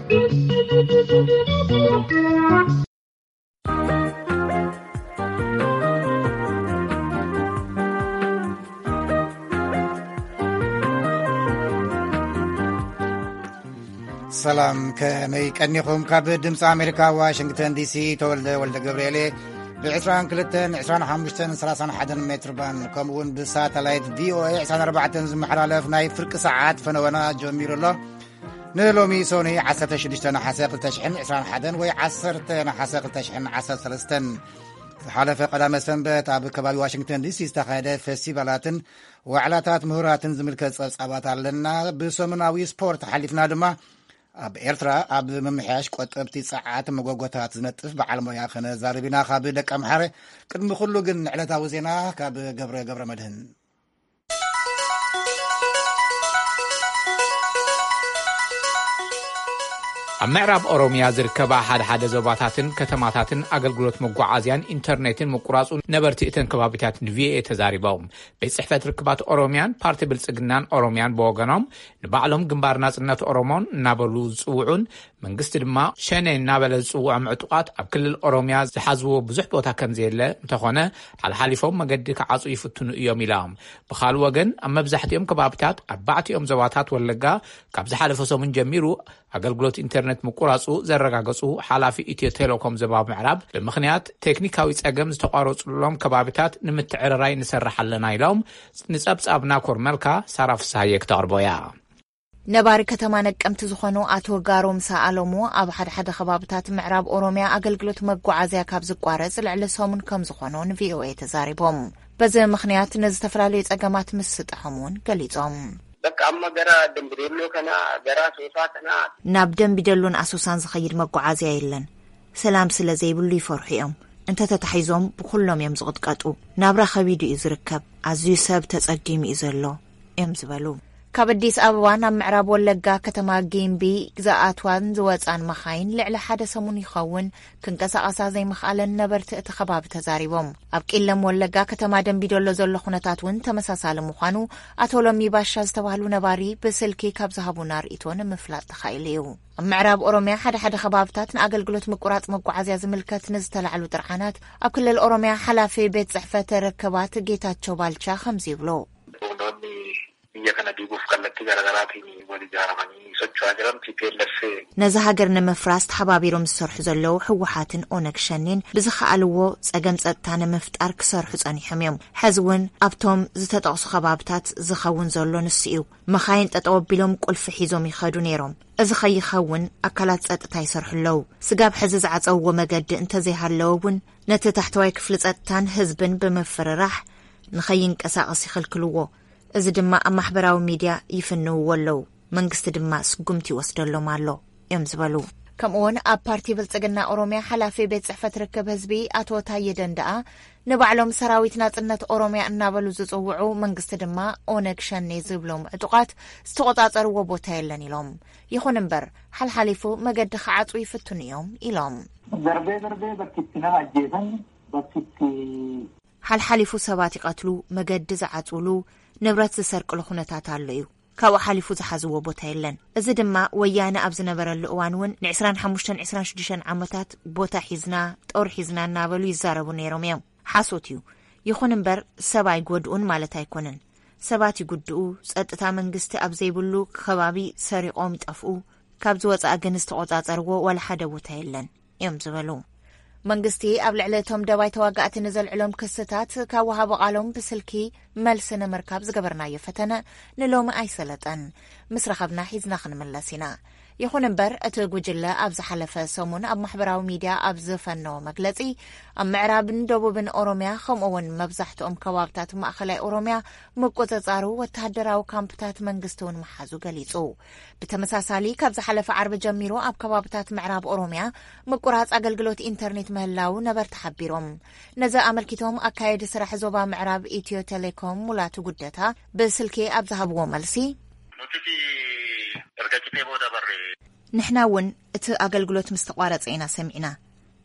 ሰላም፣ ከመይ ቀኒኹም? ካብ ድምፂ ኣሜሪካ ዋሽንግተን ዲሲ ተወልደ ወልደ ገብርኤል እየ። ብ22፣ 25፣ 31 ሜትር ባንድ፣ ከምኡ እውን ብሳተላይት ቪኦኤ 24 ዝመሓላለፍ ናይ ፍርቂ ሰዓት ፈነወና ጀሚሩ ኣሎ። ንሎሚ ሶኒ 16 ነሓሰ 2021 ወይ 10 ነሓሰ 2013፣ ዝሓለፈ ቀዳመ ሰንበት ኣብ ከባቢ ዋሽንግተን ዲሲ ዝተኻየደ ፌስቲቫላትን ዋዕላታት ምሁራትን ዝምልከት ጸብጻባት ኣለና። ብሰሙናዊ ስፖርት ሓሊፍና ድማ ኣብ ኤርትራ ኣብ ምምሕያሽ ቆጠብቲ ጸዓት መጎጎታት ዝነጥፍ በዓል ሞያ ከነዛርብ ኢና። ካብ ደቀምሓረ። ቅድሚ ኩሉ ግን ንዕለታዊ ዜና ካብ ገብረ ገብረ መድህን። ኣብ ምዕራብ ኦሮምያ ዝርከባ ሓደ ሓደ ዞባታትን ከተማታትን ኣገልግሎት መጓዓዝያን ኢንተርኔትን ምቁራጹ ነበርቲ እተን ከባቢታት ንቪኦኤ ተዛሪቦም። ቤት ጽሕፈት ርክባት ኦሮምያን ፓርቲ ብልጽግናን ኦሮምያን ብወገኖም፣ ንባዕሎም ግንባር ናጽነት ኦሮሞን እናበሉ ዝጽውዑን መንግስቲ ድማ ሸኔ እናበለ ዝጽውዖም ዕጡቓት ኣብ ክልል ኦሮምያ ዝሓዝዎ ብዙሕ ቦታ ከም ዘየለ እንተኾነ፣ ሓልሓሊፎም መገዲ ክዓጹ ይፍትኑ እዮም ኢሎም። ብኻልእ ወገን፣ ኣብ መብዛሕትኦም ከባቢታት ኣርባዕቲኦም ዞባታት ወለጋ ካብ ዝሓለፈ ሰሙን ጀሚሩ ኣገልግሎት ኢንተርኔት ምቁራጹ ዘረጋገጹ ሓላፊ ኢትዮ ቴሌኮም ዞባ ምዕራብ፣ ብምኽንያት ቴክኒካዊ ጸገም ዝተቋረጹሎም ከባቢታት ንምትዕርራይ ንሰርሕ ኣለና ኢሎም። ንጸብጻብ ናኮር መልካ ሳራ ፍስሃየ ክተቕርቦ እያ። ነባሪ ከተማ ነቀምቲ ዝኾኑ ኣቶ ጋሮምሳ ኣለሙ፣ ኣብ ሓደ ሓደ ከባብታት ምዕራብ ኦሮምያ ኣገልግሎት መጓዓዝያ ካብ ዝቋረጽ ልዕሊ ሰሙን ከም ዝኾኑ ንቪኦኤ ተዛሪቦም። በዚ ምኽንያት ንዝተፈላለዩ ጸገማት ምስጣሖም እውን ገሊጾም። በቃ፣ ኣማ ገራ ደምቢ ደሎ ከና፣ ገራ ሶሳ ከና። ናብ ደምቢ ደሎን ኣሶሳን ዝኸይድ መጓዓዝያ የለን። ሰላም ስለ ዘይብሉ ይፈርሑ እዮም። እንተተታሒዞም ብኹሎም እዮም ዝቕጥቀጡ። ናብራ ከቢዱ እዩ ዝርከብ። ኣዝዩ ሰብ ተጸጊሙ እዩ ዘሎ እዮም ዝበሉ። ካብ ኣዲስ ኣበባ ናብ ምዕራብ ወለጋ ከተማ ጊምቢ ዝኣትዋን ዝወጻን መኻይን ልዕሊ ሓደ ሰሙን ይኸውን ክንቀሳቐሳ ዘይምኽኣለን ነበርቲ እቲ ከባቢ ተዛሪቦም። ኣብ ቂለም ወለጋ ከተማ ደምቢዶሎ ዘሎ ኩነታት እውን ተመሳሳሊ ምዃኑ ኣቶ ሎሚ ባሻ ዝተባህሉ ነባሪ ብስልኪ ካብ ዝሃቡና ርእይቶ ንምፍላጥ ተኻኢሉ እዩ። ኣብ ምዕራብ ኦሮምያ ሓደ ሓደ ከባብታት ንኣገልግሎት ምቁራጽ መጓዓዝያ ዝምልከት ንዝተላዕሉ ጥርዓናት ኣብ ክልል ኦሮምያ ሓላፊ ቤት ጽሕፈት ርክባት ጌታቸው ባልቻ ከምዚ ይብሉ። Humnoonni biyya kana diiguuf kallattii garaagaraatiin wal ijaaramanii socho'aa jiran T P L F. ነዚ ሃገር ንምፍራስ ተሓባቢሮም ዝሰርሑ ዘለዉ ህወሓትን ኦነግ ሸኔን ብዝኸኣልዎ ጸገም ጸጥታ ንምፍጣር ክሰርሑ ጸኒሖም እዮም። ሕዚ እውን ኣብቶም ዝተጠቕሱ ከባብታት ዝኸውን ዘሎ ንሱ እዩ። መኻይን ጠጠው ኣቢሎም ቁልፊ ሒዞም ይኸዱ ነይሮም። እዚ ከይኸውን ኣካላት ጸጥታ ይሰርሑ ኣለዉ። ስጋብ ሕዚ ዝዓጸውዎ መገዲ እንተዘይሃለወ እውን ነቲ ታሕተዋይ ክፍሊ ጸጥታን ህዝብን ብምፍርራሕ ንኸይንቀሳቐስ ይኽልክልዎ። እዚ ድማ ኣብ ማሕበራዊ ሚድያ ይፍንውዎ ኣለዉ። መንግስቲ ድማ ስጉምቲ ይወስደሎም ኣሎ እዮም ዝበሉ። ከምኡውን ኣብ ፓርቲ ብልጽግና ኦሮምያ ሓላፊ ቤት ጽሕፈት ርክብ ህዝቢ ኣቶ ታየ ደንደኣ፣ ንባዕሎም ሰራዊት ናጽነት ኦሮምያ እናበሉ ዝጽውዑ፣ መንግስቲ ድማ ኦነግ ሸኔ ዝብሎም ዕጡቓት ዝተቖጻጸርዎ ቦታ የለን ኢሎም። ይኹን እምበር፣ ሓልሓሊፉ መገዲ ክዓጹ ይፍትኑ እዮም ኢሎም። Darbee darbee bakki itti nama ajjeesan, bakki itti ሓልሓሊፉ ሰባት ይቐትሉ፣ መገዲ ዝዓጽውሉ፣ ንብረት ዝሰርቅሉ ኩነታት ኣሎ እዩ። ካብኡ ሓሊፉ ዝሓዝዎ ቦታ የለን። እዚ ድማ ወያነ ኣብ ዝነበረሉ እዋን እውን ን25 26 ዓመታት ቦታ ሒዝና፣ ጦር ሒዝና እናበሉ ይዛረቡ ነይሮም እዮም። ሓሶት እዩ። ይኹን እምበር ሰብ ኣይጎድኡን ማለት ኣይኮነን። ሰባት ይጉድኡ፣ ጸጥታ መንግስቲ ኣብ ዘይብሉ ከባቢ ሰሪቖም ይጠፍኡ። ካብ ዝወጻእ ግን ዝተቖጻጸርዎ ዋላ ሓደ ቦታ የለን እዮም ዝበሉ። መንግስቲ ኣብ ልዕሊ እቶም ደባይ ተዋጋእቲ ንዘልዕሎም ክስታት ካብ ወሃቢ ቃሎም ብስልኪ መልሲ ንምርካብ ዝገበርናዮ ፈተነ ንሎሚ ኣይሰለጠን። ምስ ረኸብና ሒዝና ክንምለስ ኢና። ይኹን እምበር፣ እቲ ጉጅለ ኣብ ዝሓለፈ ሰሙን ኣብ ማሕበራዊ ሚድያ ኣብ ዝፈነዎ መግለጺ፣ ኣብ ምዕራብን ደቡብን ኦሮምያ፣ ከምኡ እውን መብዛሕትኦም ከባብታት ማእኸላይ ኦሮምያ ምቁጽጻሩ፣ ወተሃደራዊ ካምፕታት መንግስቲ እውን ምሓዙ ገሊጹ። ብተመሳሳሊ፣ ካብ ዝሓለፈ ዓርቢ ጀሚሩ ኣብ ከባብታት ምዕራብ ኦሮምያ ምቁራጽ ኣገልግሎት ኢንተርኔት ምህላው ነበርቲ ሓቢሮም። ነዚ ኣመልኪቶም፣ ኣካየዲ ስራሕ ዞባ ምዕራብ ኢትዮ ቴሌኮም ሙላቱ ጉደታ ብስልኪ ኣብ ዝሃብዎ መልሲ፣ Nutis erga citee booda barre. ንሕና እውን እቲ ኣገልግሎት ምስ ተቋረጸ ኢና ሰሚዕና።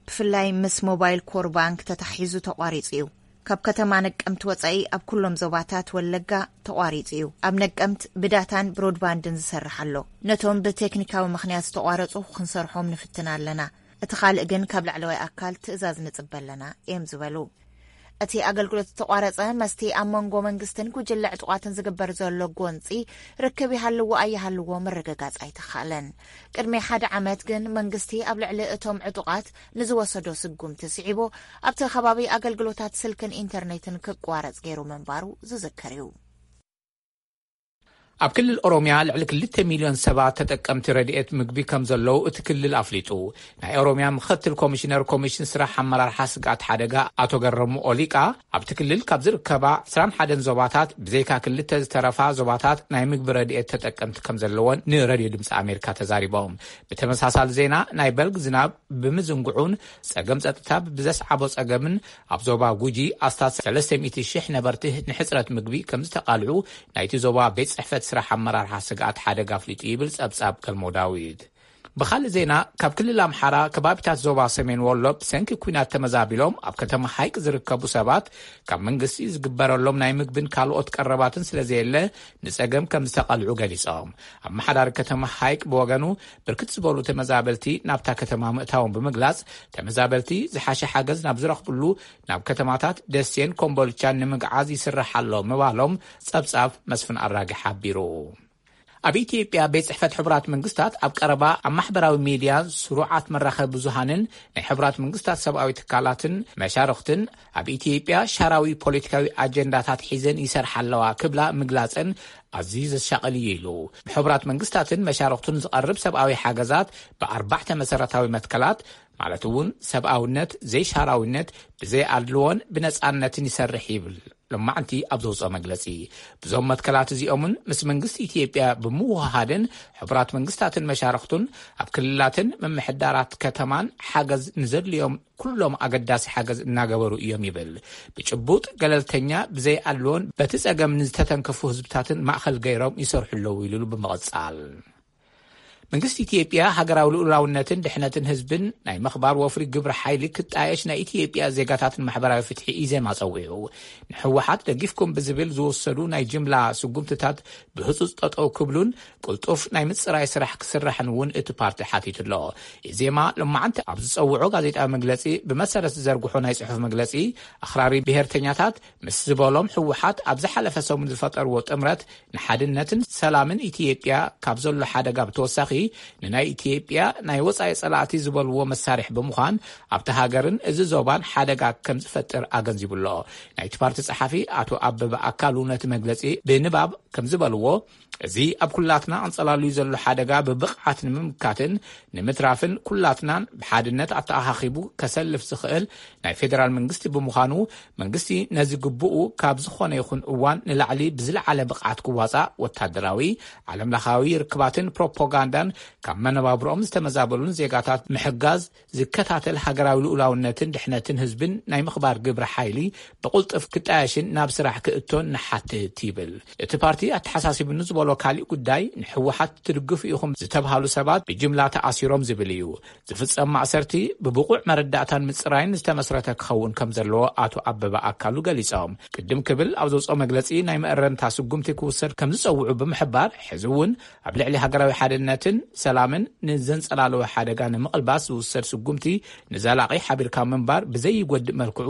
ብፍላይ ምስ ሞባይል ኮር ባንክ ተታሒዙ ተቋሪጹ እዩ። ካብ ከተማ ነቀምት ወጻኢ ኣብ ኩሎም ዞባታት ወለጋ ተቋሪጹ እዩ። ኣብ ነቀምት ብዳታን ብሮድባንድን ዝሰርሕ ኣሎ። ነቶም ብቴክኒካዊ ምኽንያት ዝተቋረጹ ክንሰርሖም ንፍትን ኣለና። እቲ ካልእ ግን ካብ ላዕለዋይ ኣካል ትእዛዝ ንጽበ ኣለና እዮም ዝበሉ። እቲ ኣገልግሎት ዝተቋረጸ መስቲ ኣብ መንጎ መንግስትን ጉጅለ ዕጡቓትን ዝግበር ዘሎ ጎንጺ ርክብ ይሃልዎ ኣይሃልዎ ምርግጋጽ ኣይተኻለን። ቅድሚ ሓደ ዓመት ግን መንግስቲ ኣብ ልዕሊ እቶም ዕጡቓት ንዝወሰዶ ስጉምቲ ስዒቡ ኣብቲ ከባቢ ኣገልግሎታት ስልክን ኢንተርኔትን ክቋረጽ ገይሩ ምንባሩ ዝዝከር እዩ። ኣብ ክልል ኦሮምያ ልዕሊ ክልተ ሚልዮን ሰባት ተጠቀምቲ ረድኤት ምግቢ ከም ዘለዉ እቲ ክልል ኣፍሊጡ። ናይ ኦሮምያ ምኽትል ኮሚሽነር ኮሚሽን ስራሕ ኣመራርሓ ስግኣት ሓደጋ ኣቶ ገረሙ ኦሊቃ፣ ኣብቲ ክልል ካብ ዝርከባ ዕስራን ሓደን ዞባታት ብዘይካ ክልተ ዝተረፋ ዞባታት ናይ ምግቢ ረድኤት ተጠቀምቲ ከም ዘለወን ንሬድዮ ድምፂ ኣሜሪካ ተዛሪቦም። ብተመሳሳሊ ዜና፣ ናይ በልግ ዝናብ ብምዝንግዑን ጸገም ጸጥታ ብዘስዓቦ ጸገምን ኣብ ዞባ ጉጂ ኣስታት ሰለስተ ሚእቲ ሽሕ ነበርቲ ንሕጽረት ምግቢ ከም ዝተቓልዑ ናይቲ ዞባ ቤት ጽሕፈት ስራሕ ኣመራርሓ ስግኣት ሓደጋ ኣፍሊጡ ይብል ጸብጻብ ገልሞ ዳዊት። ብኻልእ ዜና፣ ካብ ክልል ኣምሓራ ከባቢታት ዞባ ሰሜን ወሎ ብሰንኪ ኲናት ተመዛቢሎም ኣብ ከተማ ሃይቅ ዝርከቡ ሰባት ካብ መንግስቲ ዝግበረሎም ናይ ምግብን ካልኦት ቀረባትን ስለ ዘየለ ንጸገም ከም ዝተቓልዑ ገሊጾም። ኣመሓዳሪ ከተማ ሃይቅ ብወገኑ ብርክት ዝበሉ ተመዛበልቲ ናብታ ከተማ ምእታዎም ብምግላጽ፣ ተመዛበልቲ ዝሓሸ ሓገዝ ናብ ዝረኽብሉ ናብ ከተማታት ደሴን ኮምቦልቻን ንምግዓዝ ይስራሕ ኣሎ ምባሎም ጸብጻብ መስፍን ኣራጊ ሓቢሩ። ኣብ ኢትዮጵያ ቤት ጽሕፈት ሕቡራት መንግስታት ኣብ ቀረባ ኣብ ማሕበራዊ ሚድያ ስሩዓት መራኸቢ ብዙሃንን ናይ ሕቡራት መንግስታት ሰብኣዊ ትካላትን መሻርኽትን ኣብ ኢትዮጵያ ሻራዊ ፖለቲካዊ ኣጀንዳታት ሒዘን ይሰርሓ ኣለዋ ክብላ ምግላጸን ኣዝዩ ዘሻቕል እዩ ኢሉ። ብሕቡራት መንግስታትን መሻርኽቱን ዝቐርብ ሰብኣዊ ሓገዛት ብኣርባዕተ መሰረታዊ መትከላት፣ ማለት እውን ሰብኣውነት፣ ዘይሻራዊነት፣ ብዘይኣድልዎን ብነጻነትን ይሰርሕ ይብል። ሎማዕንቲ ኣብ ዘውፅኦ መግለፂ፣ ብዞም መትከላት እዚኦምን ምስ መንግስቲ ኢትዮጵያ ብምውሃሃድን ሕቡራት መንግስታትን መሻርኽቱን ኣብ ክልላትን ምምሕዳራት ከተማን ሓገዝ ንዘድልዮም ኩሎም ኣገዳሲ ሓገዝ እናገበሩ እዮም ይብል። ብጭቡጥ ገለልተኛ፣ ብዘይኣድልዎን በቲ ጸገም ንዝተተንከፉ ህዝብታትን ማእኸል ገይሮም ይሰርሑ ኣለዉ ኢሉ ብምቕጻል፣ መንግስቲ ኢትዮጵያ ሃገራዊ ልኡላውነትን ድሕነትን ህዝብን ናይ ምኽባር ወፍሪ ግብሪ ሓይሊ ክጣየሽ ናይ ኢትዮጵያ ዜጋታትን ማሕበራዊ ፍትሒ ኢዜማ ጸዊዑ። ንህወሓት ደጊፍኩም ብዝብል ዝወሰዱ ናይ ጅምላ ስጉምትታት ብህጹጽ ጠጠው ክብሉን ቅልጡፍ ናይ ምጽራይ ስራሕ ክስራሕን እውን እቲ ፓርቲ ሓቲቱ ኣሎ። ኢዜማ ሎማዓንቲ ኣብ ዝጸውዖ ጋዜጣዊ መግለጺ ብመሰረት ዝዘርግሖ ናይ ጽሑፍ መግለጺ፣ ኣኽራሪ ብሄርተኛታት ምስ ዝበሎም ህወሓት ኣብ ዝሓለፈ ሰሙን ዝፈጠርዎ ጥምረት ንሓድነትን ሰላምን ኢትዮጵያ ካብ ዘሎ ሓደጋ ብተወሳኺ ንናይ ኢትዮጵያ ናይ ወጻኢ ጸላእቲ ዝበልዎ መሳርሒ ብምዃን ኣብቲ ሃገርን እዚ ዞባን ሓደጋ ከም ዝፈጥር ኣገንዚቡ ኣሎ። ናይቲ ፓርቲ ጸሓፊ ኣቶ ኣበበ ኣካሉ ነቲ መግለጺ ብንባብ ከም ዝበልዎ፣ እዚ ኣብ ኩላትና ኣንጸላልዩ ዘሎ ሓደጋ ብብቕዓት ንምምካትን ንምትራፍን ኩላትናን ብሓድነት ኣተኣኻኺቡ ከሰልፍ ዝኽእል ናይ ፌደራል መንግስቲ ብምዃኑ፣ መንግስቲ ነዚ ግቡኡ ካብ ዝኾነ ይኹን እዋን ንላዕሊ ብዝለዓለ ብቕዓት ክዋጻእ፣ ወታደራዊ፣ ዓለምለኻዊ ርክባትን ፕሮፓጋንዳን ካብ መነባብሮኦም ዝተመዛበሉን ዜጋታት ምሕጋዝ፣ ዝከታተል፣ ሃገራዊ ልኡላውነትን ድሕነትን ህዝብን ናይ ምኽባር ግብረ ሓይሊ ብቕልጡፍ ክጣየሽን ናብ ስራሕ ክእቶን ንሓትት ይብል። እቲ ፓርቲ ኣተሓሳሲቡኒ ዝበሎ ካሊእ ጉዳይ፣ ንህወሓት ትድግፉ ኢኹም ዝተብሃሉ ሰባት ብጅምላ ተኣሲሮም ዝብል እዩ። ዝፍጸም ማእሰርቲ ብብቑዕ መረዳእታን ምጽራይን ዝተመስረተ ክኸውን ከም ዘለዎ ኣቶ ኣበበ ኣካሉ ገሊጾም። ቅድም ክብል ኣብ ዘውፅኦ መግለጺ፣ ናይ መእረምታ ስጉምቲ ክውሰድ ከም ዝጸውዑ ብምሕባር፣ ሕዚ እውን ኣብ ልዕሊ ሃገራዊ ሓድነትን ሰላምን ንዘንጸላለወ ሓደጋ ንምቕልባስ ዝውሰድ ስጉምቲ ንዘላቒ ሓቢርካ ምንባር ብዘይጎድእ መልክዑ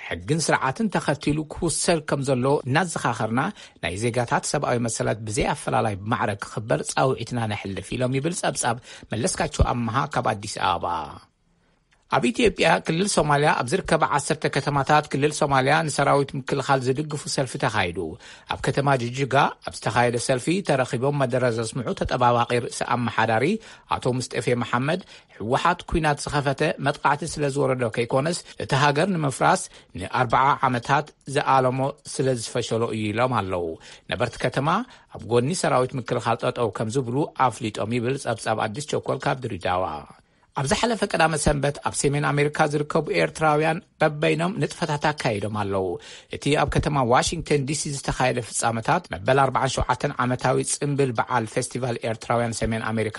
ሕግን ስርዓትን ተኸቲሉ ክውሰድ ከም ዘሎ እናዘኻኸርና፣ ናይ ዜጋታት ሰብኣዊ መሰላት ብዘይ ኣፈላላይ ብማዕረ ክኽበር ጻውዒትና ነሕልፍ ኢሎም ይብል ጸብጻብ መለስካቸው ኣመሃ ካብ ኣዲስ ኣበባ። ኣብ ኢትዮጵያ ክልል ሶማልያ ኣብ ዝርከባ ዓሰርተ ከተማታት ክልል ሶማልያ ንሰራዊት ምክልኻል ዝድግፉ ሰልፊ ተኻይዱ። ኣብ ከተማ ጅጅጋ ኣብ ዝተኻየደ ሰልፊ ተረኺቦም መደረ ዘስምዑ ተጠባባቒ ርእሰ ኣመሓዳሪ ኣቶ ሙስጠፌ መሓመድ፣ ህወሓት ኲናት ዝኸፈተ መጥቃዕቲ ስለ ዝወረዶ ከይኮነስ፣ እቲ ሃገር ንምፍራስ ንኣርብዓ ዓመታት ዝኣለሞ ስለ ዝፈሸሎ እዩ ኢሎም ኣለዉ። ነበርቲ ከተማ ኣብ ጎኒ ሰራዊት ምክልኻል ጠጠው ከም ዝብሉ ኣፍሊጦም ይብል ጸብጻብ ኣዲስ ቸኮል ካብ ድሬዳዋ። ኣብ ዝሓለፈ ቀዳመ ሰንበት ኣብ ሰሜን ኣሜሪካ ዝርከቡ ኤርትራውያን በበይኖም ንጥፈታት ኣካይዶም ኣለዉ። እቲ ኣብ ከተማ ዋሽንግተን ዲሲ ዝተኻየደ ፍጻመታት መበል ኣርባዓን ሸውዓተን ዓመታዊ ጽምብል በዓል ፌስቲቫል ኤርትራውያን ሰሜን ኣሜሪካ፣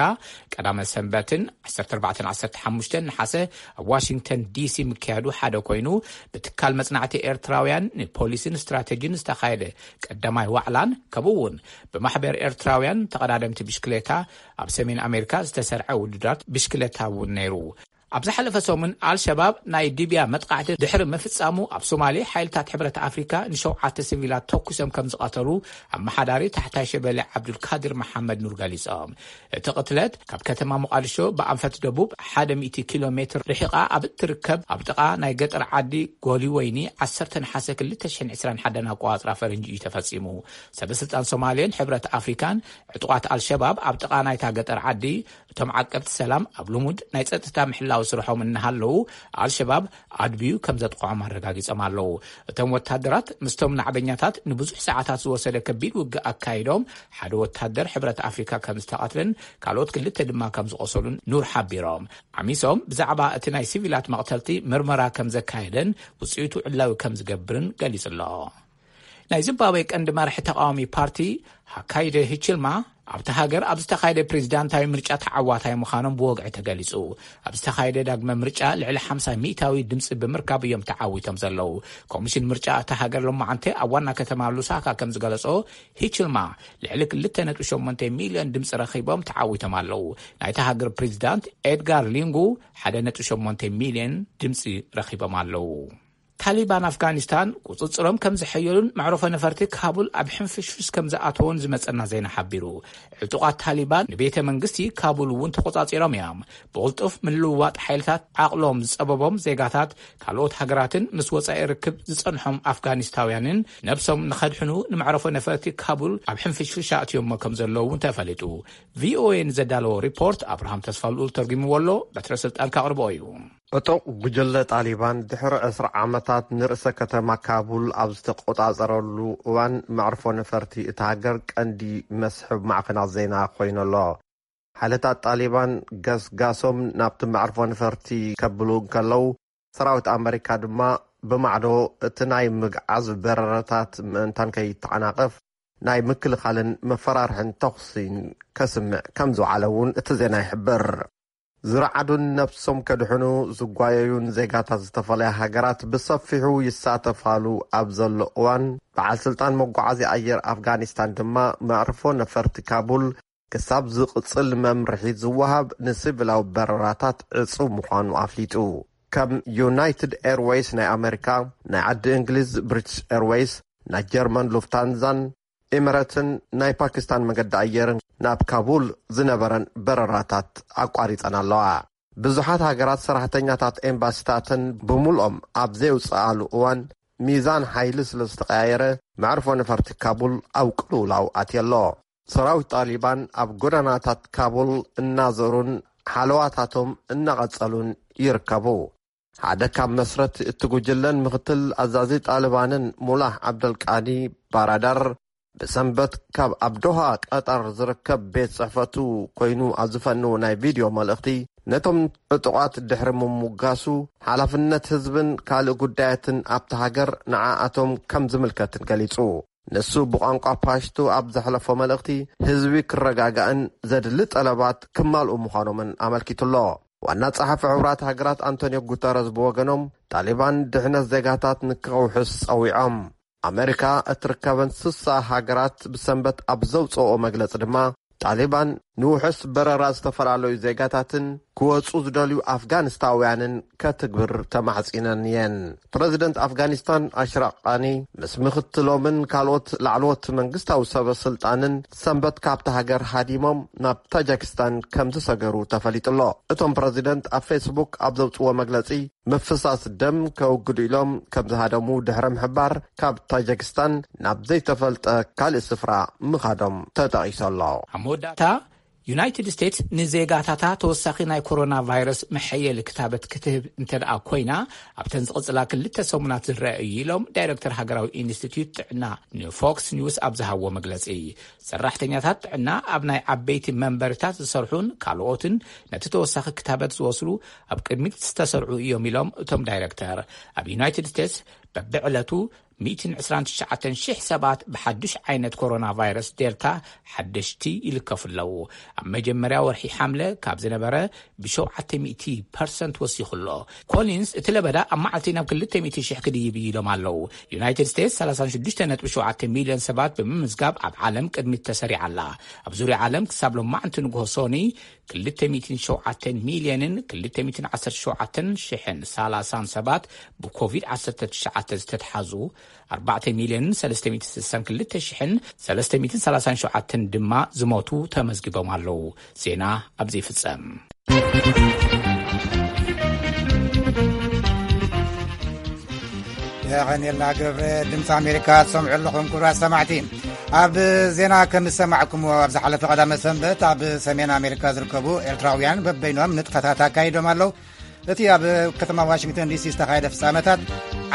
ቀዳመ ሰንበትን ዓሰርተ ኣርባዕተን ዓሰርተ ሓሙሽተን ነሓሰ ኣብ ዋሽንግተን ዲሲ ምክያዱ ሓደ ኮይኑ፣ ብትካል መጽናዕቲ ኤርትራውያን ንፖሊስን ስትራተጂን ዝተኻየደ ቀዳማይ ዋዕላን፣ ከምኡ እውን ብማሕበር ኤርትራውያን ተቐዳደምቲ ብሽክሌታ ኣብ ሰሜን ኣሜሪካ ዝተሰርዐ ውድድራት ብሽክሌታ እውን ነይሩ። ኣብ ዝሓለፈ ሰሙን ኣልሸባብ ናይ ዲብያ መጥቃዕቲ ድሕሪ ምፍጻሙ፣ ኣብ ሶማሌ ሓይልታት ሕብረት ኣፍሪካ ንሸውዓተ ሲቪላት ተኩሶም ከም ዝቐተሉ ኣመሓዳሪ ታሕታይ ሸበሌ ዓብዱልካድር መሓመድ ኑር ገሊጾም። እቲ ቅትለት ካብ ከተማ ሞቃዲሾ ብኣንፈት ደቡብ ሓደ ሚእቲ ኪሎ ሜትር ርሒቓ ኣብ እትርከብ ኣብ ጥቓ ናይ ገጠር ዓዲ ጎሊወይኒ ዓሰርተ ነሓሰ ክልተ ሽሕን ዕስራን ሓደን ኣቆጻጽራ ፈረንጂ እዩ ተፈጺሙ። ሰበ ስልጣን ሶማሌን ሕብረት ኣፍሪካን ዕጡቓት ኣልሸባብ ኣብ ጥቓ ናይታ ገጠር ዓዲ እቶም ዓቀብቲ ሰላም ኣብ ልሙድ ናይ ጸጥታ ምሕላው ስርሖም እናሃለዉ ኣልሸባብ ኣድብዩ ከም ዘጥቕዖም ኣረጋጊጾም ኣለዉ። እቶም ወታደራት ምስቶም ናዕበኛታት ንብዙሕ ሰዓታት ዝወሰደ ከቢድ ውግእ ኣካይዶም ሓደ ወታደር ሕብረት ኣፍሪካ ከም ዝተቐትለን ካልኦት ክልተ ድማ ከም ዝቆሰሉን ኑር ሓቢሮም። ዓሚሶም ብዛዕባ እቲ ናይ ሲቪላት መቕተልቲ ምርመራ ከም ዘካየደን ውጽኢቱ ዕላዊ ከም ዝገብርን ገሊጹ ኣሎ። ናይ ዚምባብዌ ቀንዲ መራሒ ተቃዋሚ ፓርቲ ሃካይደ ሂችልማ ኣብቲ ሃገር ኣብ ዝተኻየደ ፕሬዚዳንታዊ ምርጫ ተዓዋታይ ምዃኖም ብወግዒ ተገሊጹ። ኣብ ዝተኻየደ ዳግመ ምርጫ ልዕሊ ሓምሳ ሚእታዊ ድምፂ ብምርካብ እዮም ተዓዊቶም ዘለዉ። ኮሚሽን ምርጫ እታ ሃገር ሎማዓንቲ ኣብ ዋና ከተማ ሉሳካ ከም ዝገለጾ፣ ሂችልማ ልዕሊ ክልተ ነጥቢ ሸሞንተ ሚልዮን ድምፂ ረኺቦም ተዓዊቶም ኣለዉ። ናይታ ሃገር ፕሬዚዳንት ኤድጋር ሊንጉ ሓደ ነጥቢ ሸሞንተ ሚልዮን ድምፂ ረኺቦም ኣለዉ። ታሊባን ኣፍጋኒስታን ቁጽጽሮም ከም ዘሐየሉን መዕረፎ ነፈርቲ ካቡል ኣብ ሕንፍሽፍሽ ከም ዝኣተውን ዝመጸና ዜና ሓቢሩ። ዕጡቓት ታሊባን ንቤተ መንግስቲ ካቡል እውን ተቆጻጺሮም እዮም። ብቕልጡፍ ምልውዋጥ ሓይልታት ዓቕሎም ዝጸበቦም ዜጋታት ካልኦት ሃገራትን ምስ ወጻኢ ርክብ ዝጸንሖም ኣፍጋኒስታውያንን ነብሶም ንኸድሕኑ ንመዕረፎ ነፈርቲ ካቡል ኣብ ሕንፍሽፍሽ ኣእትዮሞ ከም ዘለዉ እውን ተፈሊጡ። ቪኦኤ ንዘዳለዎ ሪፖርት ኣብርሃም ተስፋልኡል ተርጉምዎ ኣሎ። በትረ ስልጣን ካቕርቦ እዩ። ዕጡቕ ጉጅለ ጣሊባን ድሕሪ ዕስራ ዓመታት ንርእሰ ከተማ ካቡል ኣብ ዝተቆጻጸረሉ እዋን መዕርፎ ነፈርቲ እታ ሃገር ቀንዲ መስሕብ ማዕኸናት ዜና ኮይኑ ኣሎ። ሓይልታት ጣሊባን ገስጋሶም ናብቲ መዕርፎ ነፈርቲ ከብሉ እንከለዉ፣ ሰራዊት ኣመሪካ ድማ ብማዕዶ እቲ ናይ ምግዓዝ በረራታት ምእንታን ከይተዓናቐፍ ናይ ምክልኻልን መፈራርሕን ተኹሲን ከስምዕ ከም ዝውዓለ እውን እቲ ዜና ይሕብር። ዝረዓዱን ነብሶም ከድሕኑ ዝጓየዩን ዜጋታት ዝተፈላለያ ሃገራት ብሰፊሑ ይሳተፋሉ ኣብ ዘሎ እዋን፣ በዓል ስልጣን መጓዓዝያ ኣየር ኣፍጋኒስታን ድማ መዕርፎ ነፈርቲ ካቡል ክሳብ ዝቕጽል መምርሒ ዝወሃብ ንሲቪላዊ በረራታት ዕጹው ምዃኑ ኣፍሊጡ። ከም ዩናይትድ ኤርዌይስ ናይ ኣመሪካ፣ ናይ ዓዲ እንግሊዝ ብሪቲሽ ኤርዌይስ፣ ናይ ጀርመን ሉፍታንዛን ኤምረትን ናይ ፓኪስታን መገዲ ኣየርን ናብ ካቡል ዝነበረን በረራታት ኣቋሪጸን ኣለዋ። ብዙሓት ሃገራት ሰራሕተኛታት ኤምባሲታተን ብምልኦም ኣብ ዘየውጽኣሉ እዋን፣ ሚዛን ሓይሊ ስለ ዝተቐያየረ፣ መዕርፎ ነፈርቲ ካቡል ኣብ ቅልውላው ኣትየሎ። ሰራዊት ጣሊባን ኣብ ጎደናታት ካቡል እናዘሩን ሓለዋታቶም እናቐጸሉን ይርከቡ። ሓደ ካብ መስረት እቲ ጉጅለን ምኽትል ኣዛዚ ጣሊባንን ሙላህ ዓብደልቃኒ ባራዳር ብሰንበት ካብ ኣብ ዶሃ ቀጠር ዝርከብ ቤት ጽሕፈቱ ኮይኑ ኣብ ዝፈንዎ ናይ ቪድዮ መልእኽቲ፣ ነቶም ዕጡቓት ድሕሪ ምሙጋሱ፣ ሓላፍነት ህዝብን ካልእ ጉዳያትን ኣብቲ ሃገር ንዓኣቶም ከም ዝምልከትን ገሊጹ። ንሱ ብቋንቋ ፓሽቱ ኣብ ዘሕለፎ መልእኽቲ፣ ህዝቢ ክረጋጋእን ዘድሊ ጠለባት ክማልኡ ምዃኖምን ኣመልኪቱሎ። ዋና ጸሓፊ ሕቡራት ሃገራት ኣንቶኒዮ ጉተረዝ ብወገኖም፣ ጣሊባን ድሕነት ዜጋታት ንክውሕስ ጸዊዖም። ኣመሪካ እትርከበን ስሳ ሃገራት ብሰንበት ኣብ ዘውጽኦ መግለጺ ድማ፣ ጣሊባን ንውሑስ በረራ ዝተፈላለዩ ዜጋታትን ክወጹ ዝደልዩ ኣፍጋኒስታውያንን ከትግብር ተማሕጺነን እየን። ፕረዚደንት ኣፍጋኒስታን ኣሽራፍ ቃኒ ምስ ምኽትሎምን ካልኦት ላዕለዎት መንግስታዊ ሰበ ስልጣንን ሰንበት ካብታ ሃገር ሃዲሞም ናብ ታጃኪስታን ከም ዝሰገሩ ተፈሊጡ ኣሎ። እቶም ፕረዚደንት ኣብ ፌስቡክ ኣብ ዘውጽዎ መግለጺ፣ ምፍሳስ ደም ከውግዱ ኢሎም ከም ዝሃደሙ ድሕሪ ምሕባር፣ ካብ ታጃኪስታን ናብ ዘይተፈልጠ ካልእ ስፍራ ምኻዶም ተጠቒሱ ኣሎ። ኣብ መወዳእታ፣ ዩናይትድ ስቴትስ ንዜጋታታ ተወሳኺ ናይ ኮሮና ቫይረስ መሐየሊ ክታበት ክትህብ እንተ ደኣ ኮይና፣ ኣብተን ዝቕጽላ ክልተ ሰሙናት ዝረአ እዩ ኢሎም ዳይረክተር ሃገራዊ ኢንስቲትዩት ጥዕና ንፎክስ ኒውስ ኣብ ዝሃብዎ መግለጺ። ሰራሕተኛታት ጥዕና፣ ኣብ ናይ ዓበይቲ መንበርታት ዝሰርሑን ካልኦትን ነቲ ተወሳኺ ክታበት ዝወስዱ ኣብ ቅድሚት ዝተሰርዑ እዮም ኢሎም እቶም ዳይረክተር። ኣብ ዩናይትድ ስቴትስ በብዕለቱ ሚእትን ዕስራን ትሽዓተን ሽሕ ሰባት ብሓዱሽ ዓይነት ኮሮና ቫይረስ ዴልታ ሓደሽቲ ይልከፉ ኣለዉ። ኣብ መጀመርያ ወርሒ ሓምለ ካብ ዝነበረ ብሸውዓተ ሚእቲ ፐርሰንት ወሲኹ ኣሎ። ኮሊንስ፣ እቲ ለበዳ ኣብ መዓልቲ ናብ ክልተ ሚእቲ ሽሕ ክድይብ እዩ ኢሎም ኣለዉ። ዩናይትድ ስቴትስ ሰላሳን ሽዱሽተ ነጥቢ ሸውዓተ ሚልዮን ሰባት ብምምዝጋብ ኣብ ዓለም ቅድሚት ተሰሪዓ ኣላ። ኣብ ዙርያ ዓለም ክሳብ ሎማዕንቲ ንግሆ ሶኒ ክልተ ሚእትን ሸውዓተን ሚልዮንን ክልተ ሚእትን ዓሰርተ ሸውዓተን ሽሕን ሰላሳን ሰባት ብኮቪድ ዓሰርተ ትሽዓተ ዝተትሓዙ፣ ኣርባዕተ ሚልዮንን ሰለስተ ሚእትን ስሳን ክልተ ሽሕን ሰለስተ ሚእትን ሰላሳን ሸውዓተን ድማ ዝሞቱ ተመዝጊቦም ኣለዉ። ዜና ኣብዚ ይፍጸም። የቐንየልና ገብረ። ድምፂ ኣሜሪካ ትሰምዑ ኣለኹም ክቡራት ሰማዕቲ። ኣብ ዜና ከም ዝሰማዕኩምዎ፣ ኣብ ዝሓለፈ ቀዳመ ሰንበት ኣብ ሰሜን ኣሜሪካ ዝርከቡ ኤርትራውያን በበይኖም ንጥፈታት ኣካይዶም ኣለዉ። እቲ ኣብ ከተማ ዋሽንግተን ዲሲ ዝተኻየደ ፍጻመታት፣